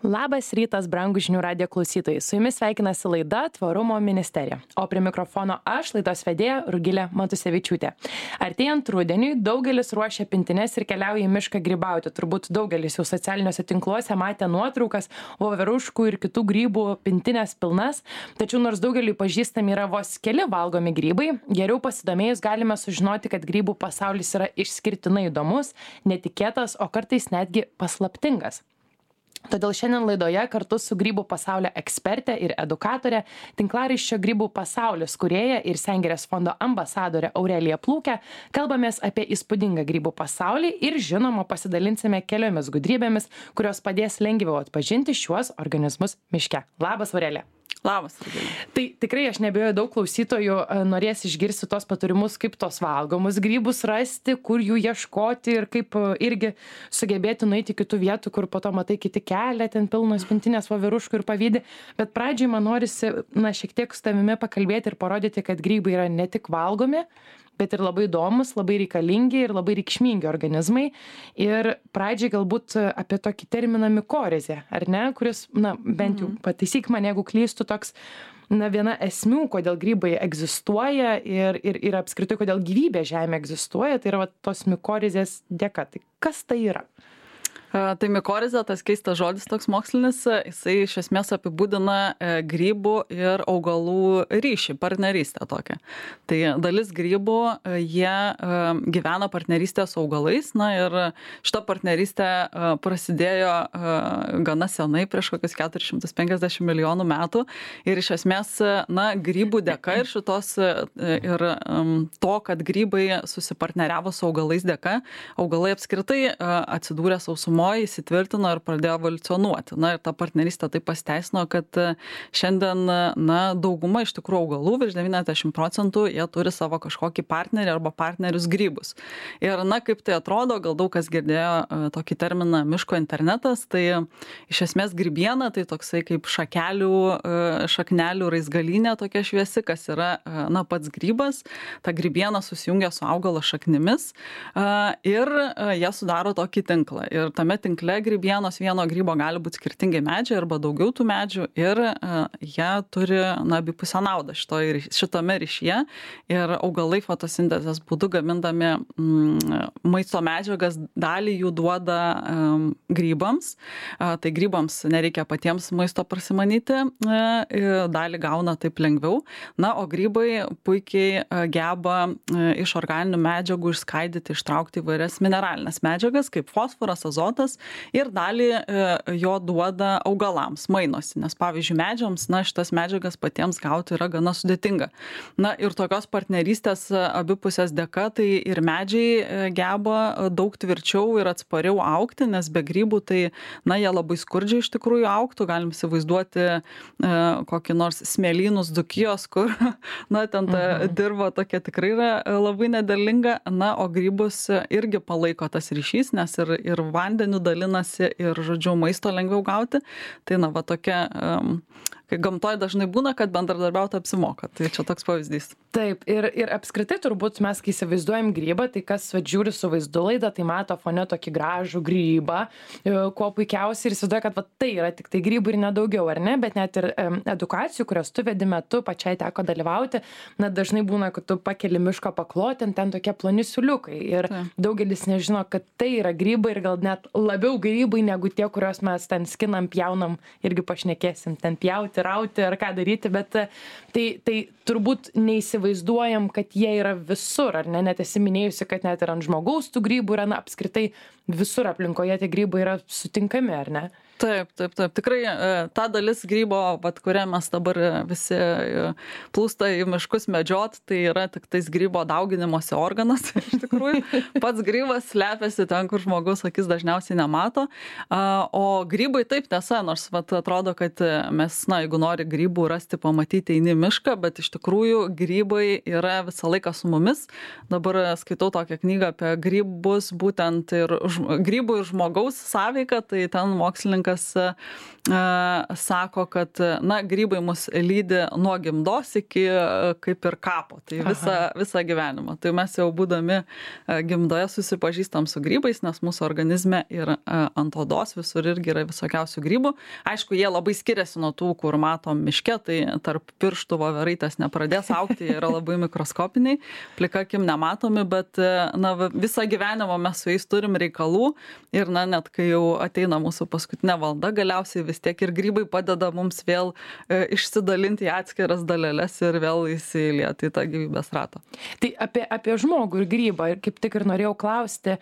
Labas rytas, brangūs žinių radijo klausytojai. Su jumis sveikinasi laida Tvarumo ministerija. O prie mikrofono aš, laidos vedėja Rugilė Matusevičiūtė. Artėjant rudeniui, daugelis ruošia pintines ir keliauja į mišką grybauti. Turbūt daugelis jau socialiniuose tinkluose matė nuotraukas, voveruškų ir kitų grybų pintinės pilnas. Tačiau nors daugeliui pažįstami yra vos keli valgomi grybai, geriau pasidomėjus galime sužinoti, kad grybų pasaulis yra išskirtinai įdomus, netikėtas, o kartais netgi paslaptingas. Todėl šiandien laidoje kartu su grybų pasaulio ekspertė ir edukatorė, tinklaraščio Grybų pasaulis kūrėja ir Sengirės fondo ambasadorė Aurelija Plūkė, kalbamės apie įspūdingą grybų pasaulį ir žinoma pasidalinsime keliomis gudrybėmis, kurios padės lengviau atpažinti šiuos organizmus miške. Labas, Aurelija. Labas. Tai tikrai aš neabejoju, daug klausytojų norės išgirsti tos patarimus, kaip tos valgomus grybus rasti, kur jų ieškoti ir kaip irgi sugebėti nueiti kitų vietų, kur po to matai kiti kelią, ten pilnos pintinės voveruškų ir pavydi. Bet pradžiai man norisi šiek tiek su tavimi pakalbėti ir parodyti, kad grybai yra ne tik valgomi, bet ir labai įdomus, labai reikalingi ir labai reikšmingi organizmai. Ir pradžiai galbūt apie tokį terminą mikorizė, ar ne, kuris, bent jau pataisyk mane, jeigu klystu, toks, viena esmių, kodėl grybai egzistuoja ir apskritai, kodėl gyvybė Žemė egzistuoja, tai yra tos mikorizės dėka. Tai kas tai yra? Tai mikorizė, tas keistas žodis toks mokslinis, jisai iš esmės apibūdina grybų ir augalų ryšį, partnerystę tokią. Tai dalis grybų, jie gyvena partnerystę su augalais, ir šita partnerystė prasidėjo gana senai, prieš kokius 450 milijonų metų. Ir iš esmės, grybų dėka ir šitos, ir to, kad grybai susipartneriavo su augalais dėka, augalai apskritai atsidūrė sausumoje, įsitvirtino ir pradėjo evoliucionuoti. Ir ta partnerystė taip pasiteisino, kad šiandien, dauguma iš tikrųjų augalų, virš 90%, jie turi savo kažkokį partnerį arba partnerius grybus. Ir, kaip tai atrodo, gal daug kas girdėjo tokį terminą miško internetas, tai iš esmės grybiena, tai toksai kaip šaknelių raizgalynė tokia šviesi, kas yra, pats grybas. Ta grybiena susijungia su augalo šaknimis ir jie sudaro tokį tinklą. Ir tame tinkle grybienos vieno grybo gali būti skirtingi medžiai arba daugiau tų medžių ir jie turi abipusę naudą šitame ryšyje ir augalai fotosintezės būdu gamindami maisto medžiagas dalį jų duoda grybams. Tai grybams nereikia patiems maisto prasimanyti, dalį gauna taip lengviau. O grybai puikiai geba iš organinių medžiagų išskaidyti, ištraukti įvairias mineralinės medžiagas kaip fosforas, azotas ir dalį jo duoda augalams, mainosi, nes pavyzdžiui medžiams, šitas medžiagas patiems gauti yra gana sudėtinga. Ir tokios partnerystės abipusės dėka, tai ir medžiai geba daug tvirčiau ir atspariau augti, nes be grybų tai, jie labai skurdžiai iš tikrųjų augtų, galim įsivaizduoti kokį nors smėlynus Dzūkijos, kur, ten ta dirva tokia tikrai yra labai nederlinga, o grybus irgi palaiko tas ryšys, nes ir vandenį dalinasi ir, maisto lengviau gauti. Tai, tokia, kai gamtoje dažnai būna, kad bendradarbiauti apsimoka. Tai čia toks pavyzdys. Taip, ir apskritai turbūt mes, kai įsivaizduojam grybą, tai kas žiūri su vaizdu laidą, tai mato fone tokį gražų grybą, kuo puikiausiai ir įsivaizduoja, kad tai yra tik tai grybai ir nedaugiau, ar ne? Bet net ir edukacijų, kurios tu vedi metu, pačiai teko dalyvauti, dažnai būna, kad tu pakeli miško paklotę, ten tokie ploni siūliukai. Ir daugelis nežino, kad tai yra grybai ir gal net labiau grybai negu tie, kuriuos mes ten skinam, pjaunam, irgi pašnekėsim, ten pjauti, rauti ar ką daryti, bet tai turbūt neįsivaizduojam, kad jie yra visur, ar ne? Net esi minėjusi, kad net ir ant žmogaus tų grybų yra, apskritai visur aplinkoje tie grybai yra sutinkami, ar ne? Taip. Tikrai ta dalis grybo, kurią mes dabar visi plūsta į miškus medžiot, tai yra tik tais grybo dauginimosi organas. Iš tikrųjų, pats grybas slepiasi ten, kur žmogus akis dažniausiai nemato. O grybai taip tiesa, nors atrodo, kad mes, jeigu nori grybų rasti, pamatyti, eini į mišką, bet iš tikrųjų grybai yra visą laiką su mumis. Dabar skaitau tokią knygą apie grybus, būtent ir grybų ir žmogaus sąveika, tai ten mokslininkas sako, kad grybai mus lydi nuo gimdos iki kaip ir kapo, tai visą gyvenimą. Tai mes jau būdami gimdoje susipažįstam su grybais, nes mūsų organizme ir ant odos visur irgi yra visokiausių grybų. Aišku, jie labai skiriasi nuo tų, kur matom miške, tai tarp pirštų voveraitės nepradės augti, jie yra labai mikroskopiniai, plika akim nematomi, bet visą gyvenimą mes su jais turim reikalų ir net kai jau ateina mūsų paskutinė valda, galiausiai vis tiek ir grybai padeda mums vėl išsidalinti į atskiras daleles ir vėl įsilieti į tą gyvybės ratą. Tai apie žmogų ir grybą, ir kaip tik ir norėjau klausti,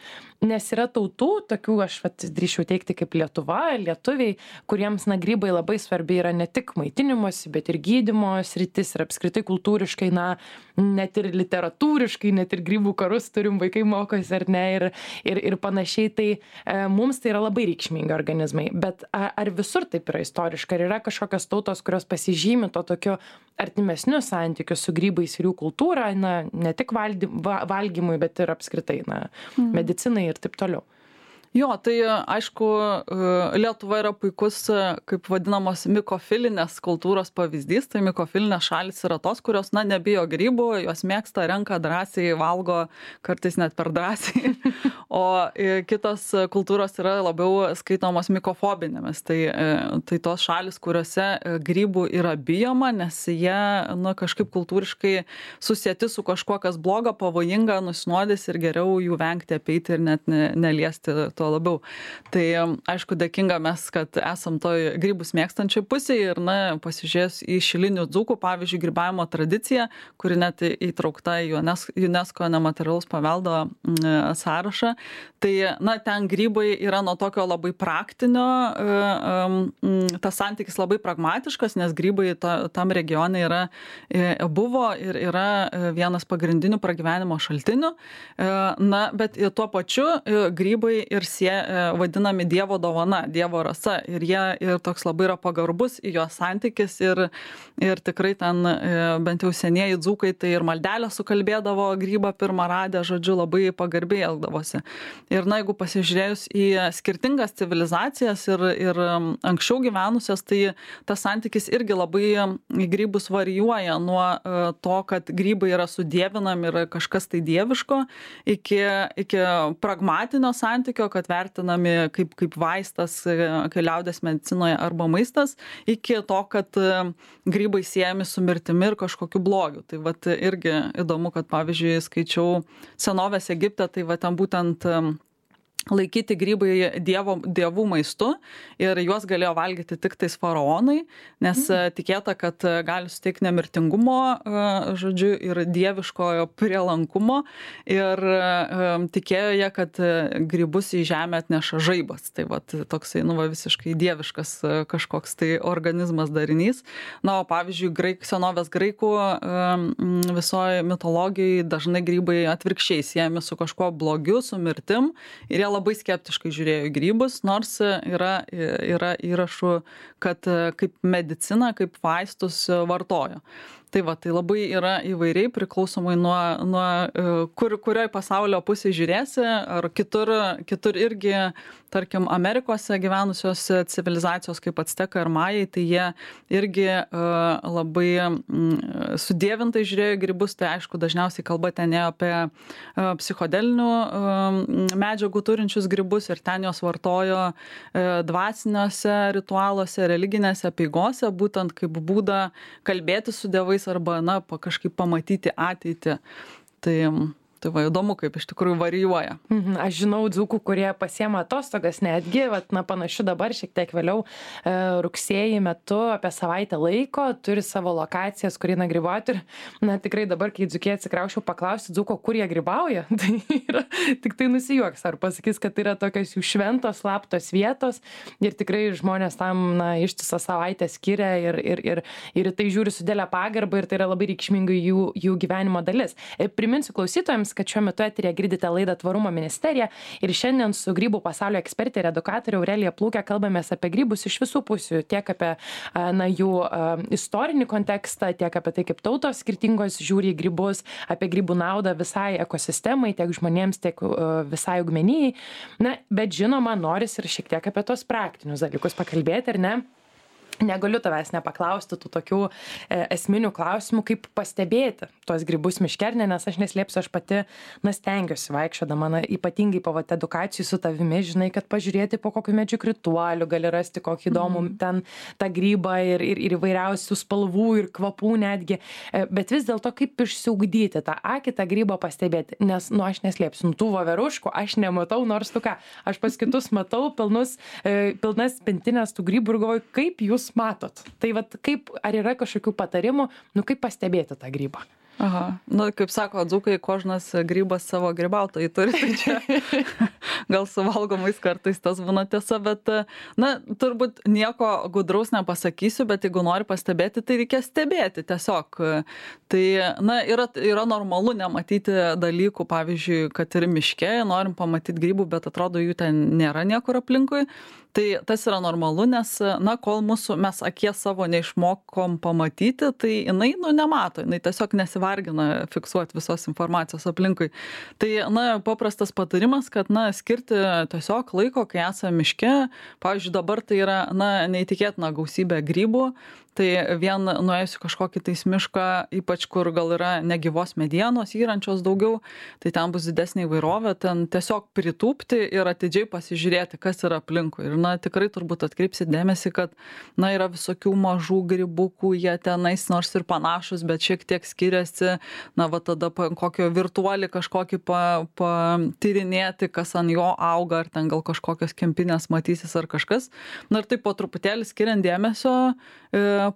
nes yra tautų, tokių aš drįsčiau teikti kaip Lietuva, lietuviai, kuriems grybai labai svarbi yra ne tik maitinimosi, bet ir gydymo sritis ir apskritai kultūriškai, net ir literatūriškai, net ir grybų karus turim, vaikai mokosi ar ne, ir panašiai, tai mums tai yra labai reikšmingi organizmai. Bet ar visur taip yra istoriškai, ar yra kažkokios tautos, kurios pasižymi to tokio artimesnių santykių su grybais ir jų kultūra, ne tik valgymui, bet ir apskritai, medicinai ir taip toliau? Jo, tai aišku, Lietuva yra puikus, kaip vadinamos, mikofilinės kultūros pavyzdys. Tai mikofilinės šalis yra tos, kurios, nebijo grybų, jos mėgsta, renka drąsiai, valgo, kartais net per drąsiai. O kitos kultūros yra labiau skaitomos mikofobinėmis. Tai tos šalis, kuriuose grybų yra bijoma, nes jie, kažkaip kultūriškai susieti su kažkuo, kas bloga, pavojinga, nusinuodys ir geriau jų vengti, apeiti ir net neliesti tuo labiau. Tai aišku, dėkinga mes, kad esam toj grybus mėgstančiai pusėje ir pasižiūrėjus į šilinių dzūkų, pavyzdžiui, grybavimo tradiciją, kuri net įtraukta į UNESCO nematerialaus paveldo sąrašą. Tai ten grybai yra nuo tokio labai praktinio, tas santykis labai pragmatiškas, nes grybai tam regione buvo ir yra vienas pagrindinių pragyvenimo šaltinių. Bet tuo pačiu grybai ir vadinami Dievo dovana, Dievo rasa. Ir jie ir toks labai yra pagarbus į jo santykis ir tikrai ten bent jau senieji dzūkai tai ir maldelę sukalbėdavo grybą pirmą radę, žodžiu, labai pagarbiai elgdavosi. Ir jeigu pasižiūrėjus į skirtingas civilizacijas ir anksčiau gyvenusias, tai tas santykis irgi labai į grybus varijuoja nuo to, kad grybai yra sudievinami ir kažkas tai dieviško, iki pragmatinio santykio, kad vertinami kaip vaistas, kai liaudies medicinoje arba maistas, iki to, kad grybai siejami su mirtimi ir kažkokiu blogiu. Tai irgi įdomu, kad pavyzdžiui skaičiau senovės Egipte, tai ten būtent laikyti grybai dievų maistu ir juos galėjo valgyti tik tais faraonai, nes tikėta, kad gali suteikti nemirtingumo, žodžiu, ir dieviškojo prielankumo ir tikėjo jie, kad grybus į žemę atneša žaibas. Tai toksai, visiškai dieviškas kažkoks tai organizmas darinys. O pavyzdžiui, senovės graikų visoje mitologijai dažnai grybai atvirkščiai siejami su kažkuo blogiu, su mirtim ir jie labai skeptiškai žiūrėjo į grybus, nors yra įrašų, kad kaip medicina, kaip vaistus vartojo. Tai labai yra įvairiai priklausomai nuo kurioj pasaulio pusėje žiūrėsi, ar kitur irgi, tarkim, Amerikose gyvenusios civilizacijos kaip Actekai ar Majai, tai jie irgi labai sudievintai žiūrėjo į grybus, tai aišku, dažniausiai kalba ten ėjo apie psichodelinių medžiagų turinčius grybus ir ten jos vartojo dvasiniuose ritualuose, religinėse apeigose, būtent kaip būdą kalbėti su dievais arba, kažkaip pamatyti ateitį. Tai įdomu, kaip iš tikrųjų varijuoja. Aš žinau dzūkų, kurie pasiema atostogas netgi, panašu dabar šiek tiek vėliau rugsėjį metu apie savaitę laiko, turi savo lokacijas, kur eina grybauti ir, tikrai dabar, kai dzūkė atsikraušiau paklausti dzūko, kur jie grybauja, tai yra, tik tai nusijuoks, ar pasakys, kad tai yra tokios jų šventos, slaptos vietos ir tikrai žmonės tam, ištisą savaitę skiria ir tai žiūri su didelė pagarba ir tai yra labai reikšminga jų gyvenimo dalis. Priminsiu klausytojams, primins, kad šiuo metu eteryje girdite laidą Tvarumo ministerija ir šiandien su grybų pasaulio ekspertė ir edukatorė Aurelija Plūke kalbamės apie grybus iš visų pusių, tiek apie jų istorinį kontekstą, tiek apie tai, kaip tautos skirtingos žiūri į grybus, apie grybų naudą visai ekosistemai, tiek žmonėms, tiek visai augmenijai. Na, bet žinoma, noris ir šiek tiek apie tos praktinius dalykus pakalbėti, ar ne? Negaliu tavęs nepaklausti tų tokių esminių klausimų, kaip pastebėti tuos grybus miške, nes aš neslėpsiu, aš pati stengiuosi vaikščiodama, ypatingai po edukacijų su tavimi, žinai, kad pažiūrėti po kokiu medžių krituoliu, gali rasti kokį įdomų ten tą grybą ir įvairiausių spalvų ir kvapų netgi, bet vis dėlto kaip išsiugdyti tą akį, tą grybą pastebėti, nes, aš neslėpsiu, tų voveruškų aš nematau, nors tu ką, aš pas kitus matau pilnas pintinės tų grybų ir galvoju, kaip jūs matot. Tai vat kaip, ar yra kažkokių patarimų, kaip pastebėti tą grybą? Aha, kaip sako dzūkai, kožnas grybas savo grybautojai turi, tai čia gal suvalgomais kartais tas būna tiesa, bet, turbūt nieko gudraus nepasakysiu, bet jeigu nori pastebėti, tai reikia stebėti tiesiog. Tai, yra normalu nematyti dalykų, pavyzdžiui, kad ir miške, norim pamatyti grybų, bet atrodo jų ten nėra niekur aplinkui. Tai tas yra normalu, nes, kol mes akies savo neišmokom pamatyti, tai jinai, nemato, jinai tiesiog nesivargina fiksuoti visos informacijos aplinkui. Tai, paprastas patarimas, kad, skirti tiesiog laiko, kai esame miške, pavyzdžiui, dabar tai yra, neįtikėtina gausybė grybų, tai vien nuėjus kažkokį tais mišką, ypač kur gal yra negyvos medienos, įrančios daugiau, tai ten bus didesnė įvairovė, ten tiesiog pritūpti ir atidžiai pasižiūrėti, kas yra aplinkui. Ir, tikrai turbūt atkreipsit dėmesį, kad, yra visokių mažų grybukų, jie tenais nors ir panašus, bet šiek tiek skiriasi, tada kokio virtuolį kažkokį patyrinėti, kas ant jo auga, ar ten gal kažkokios kempinės matysis ar kažkas. Ir taip po truputėlį skiriant dėmesio,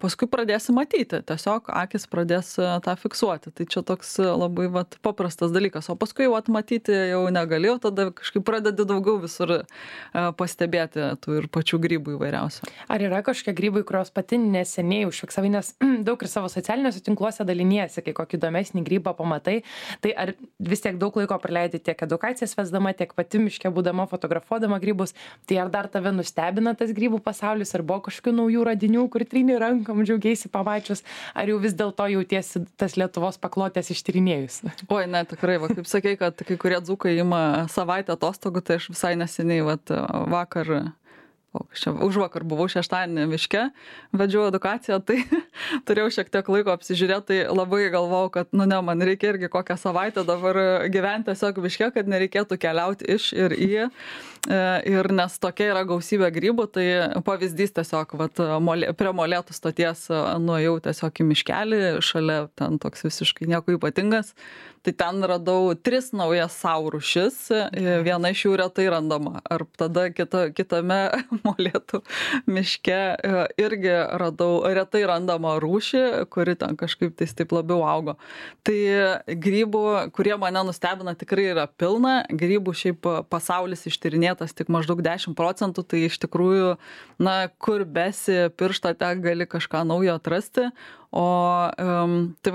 paskui pradėsi matyti, tiesiog akis pradės tą fiksuoti. Tai čia toks labai paprastas dalykas, o paskui jau matyti jau negalėjau, tada kažkaip pradedi daugiau visur pastebėti tų ir pačių grybų įvairiausių. Ar yra kažkokie grybai, kurios pati neseniai užfiksavai, nes daug ir savo socialiniuose tinkluose daliniesi, kai kokį įdomesnį grybą pamatai, tai ar vis tiek daug laiko praleidi tiek edukacijas vesdama, tiek pati miške būdama, fotografuodama grybus, tai ar dar tave nustebina tas grybų pasaulis, ar buvo kažkokių naujų radinių, kur trini rankom, džiaugiaisi pamačius, ar jau vis dėlto jautiesi tas Lietuvos paklotės ištyrinėjus? Oi, ne, tikrai, kaip sakei, kad kai kurie dzūkai ima savaitę atostogų, tai aš visai neseniai, užvakar buvau šeštadienį miške, vedžiau edukaciją, tai turėjau šiek tiek laiko apsižiūrėti, tai labai galvojau, kad, man reikia irgi kokią savaitę dabar gyventi tiesiog miške, kad nereikėtų keliauti iš ir į. Ir nes tokia yra gausybė grybų, tai pavyzdys tiesiog, prie Molėtų stoties nuėjau tiesiog į miškelį, šalia ten toks visiškai nieko ypatingas. Tai ten radau 3 naujas sau rūšis, viena iš jų retai randama. Ar tada kitame Molėtų miške irgi radau retai randamą rūšį, kuri ten kažkaip taip labiau augo. Tai grybų, kurie mane nustebina, tikrai yra pilna. Grybų šiaip pasaulis ištyrinėtas tik maždaug 10%, tai iš tikrųjų, kur besi pirštą ten gali kažką naujo atrasti. O tai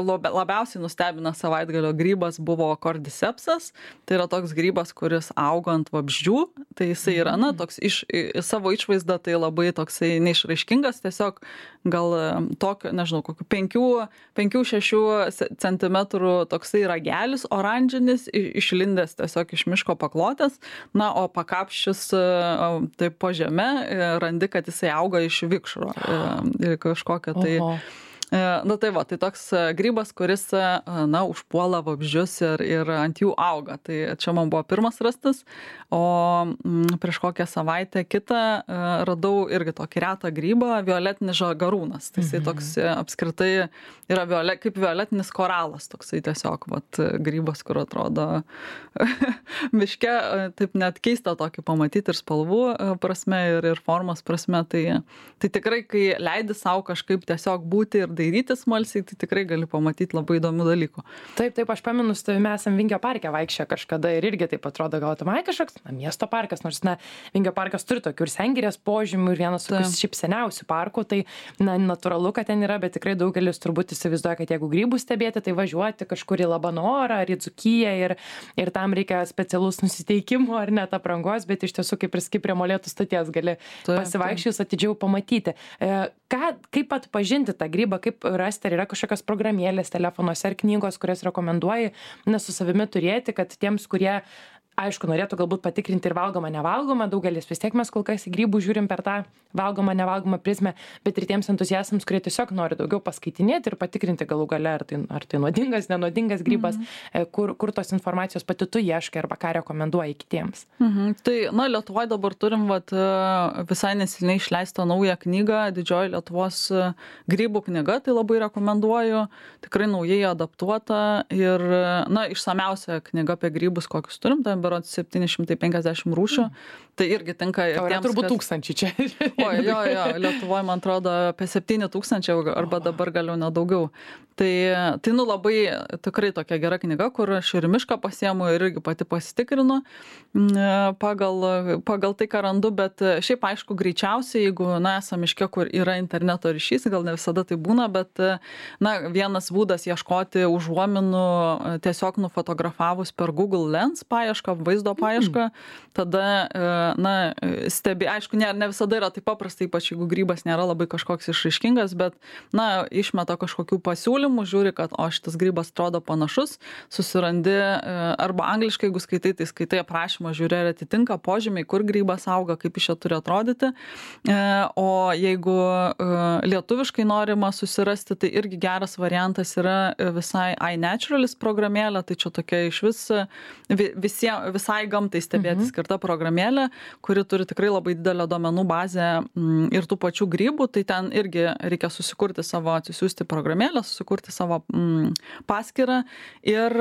labiausiai nustebina savaitgalio grybas buvo Cordycepsas, tai yra toks grybas, kuris auga ant vabzdžių, tai jisai yra, toks savo išvaizda, tai labai toksai neišraiškingas, tiesiog gal tokio, nežinau, kokių 5-6 cm toksai ragelis, oranžinis, išlindęs tiesiog iš miško paklotės, o pakapščius taip po žeme randi, kad jisai auga iš vikšro kažkokio tai. Tai toks grybas, kuris, užpuola vabzdžius ir ant jų auga. Tai čia man buvo pirmas rastas, o prieš kokią savaitę kitą radau irgi tokį retą grybą, violetinis žagarūnas. Tai jisai toks apskritai yra kaip violetinis koralas, toksai tiesiog grybas, kur atrodo miške, taip net keista tokį pamatyti ir spalvų prasme, ir formos prasme. Tai tikrai, kai leidi savo kažkaip tiesiog būti ir padairytis smalsiai, tai tikrai gali pamatyti labai įdomių dalykų. Taip, aš pamenu, su tavimi esam Vingio parke vaikščioję kažkada ir irgi taip atrodo, gal tai kažkoks miesto parkas, nors Vingio parkas turi tokių ir Sengirės požymių ir vienas tokių šiaip seniausių parkų, tai natūralu, kad ten yra, bet tikrai daugelis turbūt įsivaizduoja, kad jeigu grybų stebėti, tai važiuoti kažkur į Labanorą ar į Dzūkiją ir tam reikia specialus nusiteikimo ar net aprangos, bet iš tiesų kaip prie Molėtų stoties gali pasivaikščius atidžiau pamatyti. Kaip atpažinti tą grybą, kaip rasti, ar yra kažkokios programėlės telefonuose ar knygos, kurias rekomenduoji su savimi turėti, kad tiems, kurie aišku, norėtų galbūt patikrinti ir valgomą, nevalgomą, daugelis vis tiek mes kol kas į grybų žiūrim per tą valgomą, nevalgomą prizmę, bet ir tiems entuziastams, kurie tiesiog nori daugiau paskaitinėti ir patikrinti galų gale, ar tai nuodingas, nenuodingas grybas, kur tos informacijos pati tu ieškai arba ką rekomenduoji kitiems. Tai, Lietuvoje dabar turim visai neseniai išleistą naują knygą, Didžioji Lietuvos grybų knyga, tai labai rekomenduoju, tikrai naujai adaptuota ir, išsamiausia knyga apie grybus, kokius turim, tai berods 750 rūšių, tai irgi tinka ir tiems, turbūt 1000 čia. Jo, Lietuvoje, man atrodo, apie 7000 arba dabar galiu nedaugiau. Tai labai tikrai tokia gera knyga, kur aš ir mišką pasiemu ir irgi pati pasitikrinu pagal tai, ką randu, bet šiaip aišku, greičiausiai, jeigu, esam miške, kur yra interneto ryšys, gal ne visada tai būna, bet, vienas būdas ieškoti užuominų tiesiog nufotografavus per Google Lens paiešką, vaizdo paiešką, tada, aišku, ne visada yra taip paprasta, ypač jeigu grybas nėra labai kažkoks išraiškingas, bet, išmeta kažkokių pasiūlymų, žiūri, kad, šitas grybas atrodo panašus, susirandi, arba angliškai, jeigu skaitai, tai skaitai aprašymą, žiūri, ar atitinka požymiai, kur grybas auga, kaip iš čia turi atrodyti. O jeigu lietuviškai norima susirasti, tai irgi geras variantas yra visai iNaturalis programėlė, tai čia tokia iš visai gamtai stebėti skirta programėlė, kuri turi tikrai labai didelę duomenų bazę ir tų pačių grybų, tai ten irgi reikia atsisiųsti programėlę, susikurti savo paskyrą ir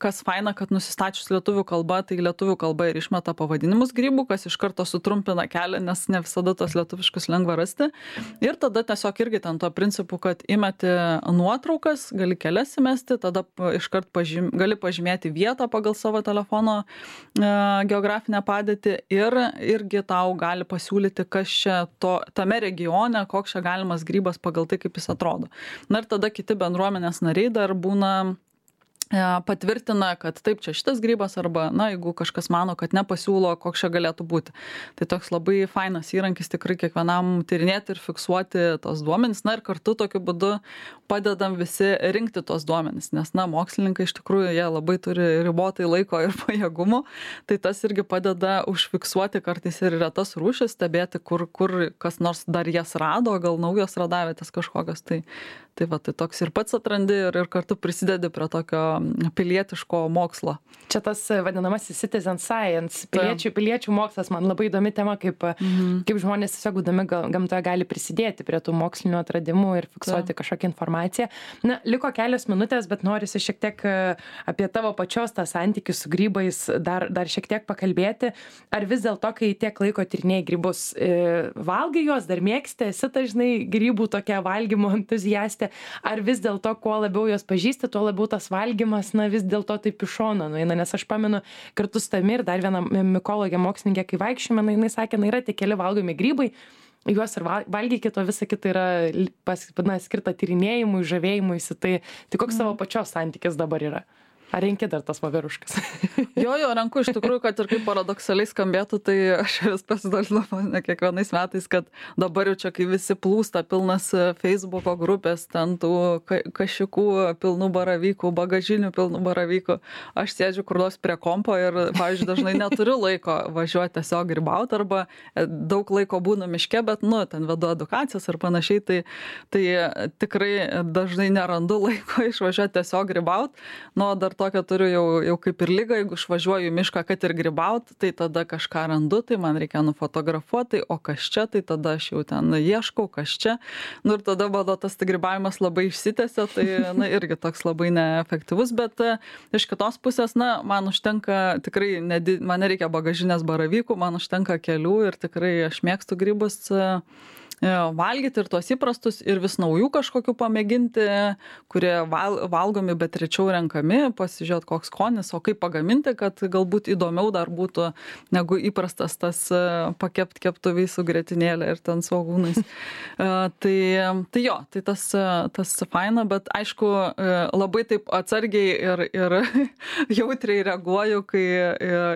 kas faina, kad nusistačius lietuvių kalba, tai lietuvių kalba ir išmeta pavadinimus grybų, kas iš karto sutrumpina kelią, nes ne visada tos lietuviškus lengva rasti. Ir tada tiesiog irgi ten tuo principu, kad įmeti nuotraukas, gali kelias įmesti, tada iškart gali pažymėti vietą pagal savo telefono geografinę padėtį ir irgi tau gali pasiūlyti, kas čia tame regione, koks čia galimas grybas pagal tai, kaip jis atrodo. Ir tada kiti bendruomenės nariai dar būna patvirtina, kad taip, čia šitas grybas arba, jeigu kažkas mano, kad nepasiūlo, koks čia galėtų būti. Tai toks labai fainas įrankis tikrai kiekvienam tyrinėti ir fiksuoti tos duomenys. Ir kartu tokiu būdu padedam visi rinkti tos duomenys, nes, mokslininkai iš tikrųjų jie labai turi ribotai laiko ir pajėgumų. Tai tas irgi padeda užfiksuoti kartais ir retas rūšis, stebėti, kur kas nors dar jas rado, gal naujos radavietės kažkokios. Tai toks ir pats atrandi ir kartu prisidedi prie tokio pilietiško mokslo. Čia tas vadinamasis citizen science, piliečių mokslas, man labai įdomi tema, kaip žmonės tiesiog būdami gamtoje gali prisidėti prie tų mokslinių atradimų ir fiksuoti kažkokią informaciją. Liko kelios minutės, bet norisi šiek tiek apie tavo pačios tą santykį su grybais dar šiek tiek pakalbėti. Ar vis dėlto, kai tiek laiko tyrinėjai grybus, valgai juos, dar mėgsti, esi dažnai grybų tokia valgymo entuziastė, ar vis dėlto, kuo labiau juos pažįsti, tuo labiau tas valgymas, vis dėlto taip iš šono nueina, nes aš pamenu kartu su tami ir dar viena mikologė mokslininkė, kai vaikščiome, jinai sakė, yra tie keli valgomi grybai, juos ir valgykit, o visa kita yra skirta tyrinėjimui, žavėjimuisi, tai koks savo pačios santykis dabar yra? Ar renki dar tas voveruškas? Jo, renku iš tikrųjų, kad ir kaip paradoksaliai skambėtų, tai aš vis pasidalinu kiekvienais metais, kad dabar jau čia, kai visi plūsta pilnas Facebooko grupės, ten tų kašikų pilnų baravykų, bagažinių pilnų baravykų, aš sėdžiu kur nors prie kompo ir, pavyzdžiui, dažnai neturiu laiko važiuoti tiesiog grybauti arba daug laiko būna miške, bet, ten vedu edukacijas ir panašiai, tai tikrai dažnai nerandu laiko išvažiuoti tiesiog grybauti, dar tokią turiu jau kaip ir lygą, jeigu išvažiuoju į mišką, kad ir grybaut, tai tada kažką randu, tai man reikia nufotografuoti, o kas čia, tai tada aš jau ten ieškau, kas čia. Ir tada mano tas grybavimas labai išsitęsia, tai irgi toks labai neefektyvus, bet iš kitos pusės, man užtenka tikrai, man nereikia bagažinės baravykų, man užtenka kelių ir tikrai aš mėgstu grybus. valgyti ir tuos įprastus, ir vis naujų kažkokių pamėginti, kurie valgomi, bet rečiau renkami, pasižiūrėti, koks skonis, o kaip pagaminti, kad galbūt įdomiau dar būtų negu įprastas tas keptuviai su grietinėlė ir ten svogūnais. Tai jo, tai tas faina, bet aišku, labai taip atsargiai ir jautriai reaguoju, kai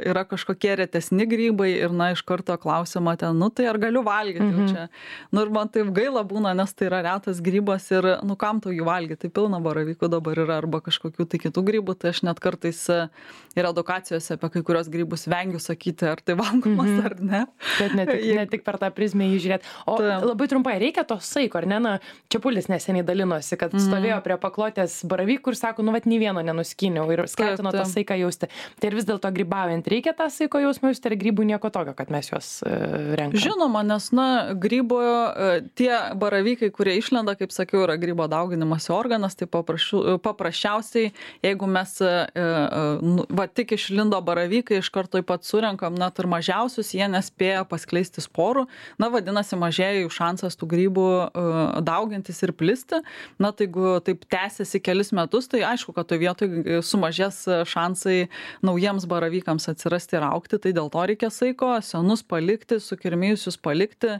yra kažkokie retesni grybai ir, iš karto klausima ten, tai ar galiu valgyti jau čia. Ir man taip gaila būna, nes tai yra retas grybas ir, kam tau jį valgyti, tai pilna baravykų dabar yra arba kažkokių tai kitų grybų, tai aš net kartais ir edukacijose apie kai kurios grybus vengiu sakyti, ar tai valgomas ar ne. Bet ne tik per tą prizmę jį žiūrėti. O labai trumpai, reikia to saiko, ar ne? Čepulis neseniai dalinosi, kad stovėjo prie paklotės baravykų ir sako, nei vieno nenuskyniau ir skatino tą saiką jausti. Tai ir vis dėlto grybaujant reikia tą saiko jausmą jausti, ir grybų nieko tokio, kad mes juos renkame. Žinoma, nes grybo tie baravykai, kurie išlenda, kaip sakiau, yra grybo dauginimosi organas, tai paprasčiausiai, jeigu mes tik išlindo baravykai, iš karto pat surenkam, net ir mažiausius, jie nespėja paskleisti sporų, vadinasi, mažėja jų šansas tų grybų daugintis ir plisti. Tai jeigu taip tęsiasi kelis metus, tai aišku, kad toje vietoje sumažės šansai naujiems baravykams atsirasti ir augti, tai dėl to reikia saiko, senus palikti, sukirmėjusius palikti,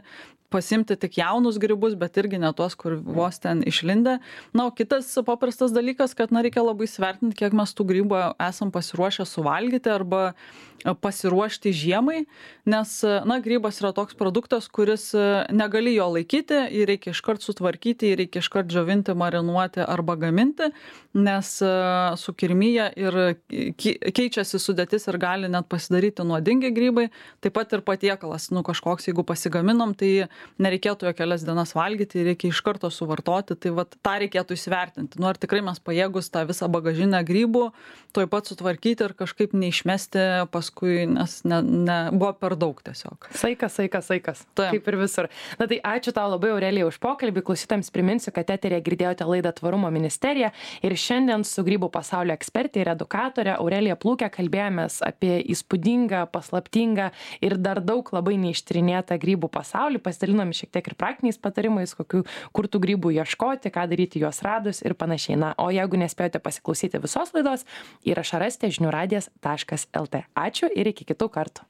pasimti tik jaunus grybus, bet irgi ne tuos, kur vos ten išlindę. O kitas paprastas dalykas, kad reikia labai svertinti, kiek mes tų grybų esam pasiruošę suvalgyti arba pasiruošti žiemai, nes grybas yra toks produktas, kuris negali jo laikyti, jį reikia iškart sutvarkyti, jį reikia iškart džiovinti, marinuoti arba gaminti, nes sukirmyje ir keičiasi sudėtis ir gali net pasidaryti nuodingi grybai. Taip pat ir patiekalas, kažkoks, jeigu pasigaminom, tai nereikėtų jo kelias dienas valgyti, reikia iš karto suvartoti, tai tą reikėtų įsivertinti. Ar tikrai mes pajėgus tą visą bagažinę grybų tuoj pat sutvarkyti ir kažkaip neišmesti paskui, nes buvo per daug tiesiog. Saikas. Kaip ir visur. Tai ačiū tau labai, Aurelija, už pokalbį. Klausytojams priminsiu, kad eteryje girdėjote laidą Tvarumo ministerija ir šiandien su grybų pasaulio ekspertė ir edukatorė Aurelija Plūke kalbėjomės apie įspūdingą, paslaptingą ir dar daug labai neištyrinėtą grybų pasaulį. Pasidalinom šiek tiek ir praktiniais patarimais, kur tų grybų ieškoti, ką daryti juos radus ir panašiai. O jeigu nespėjote pasiklausyti visos laidos, įrašą rasite žiniųradijas.lt. Ačiū ir iki kitų kartų.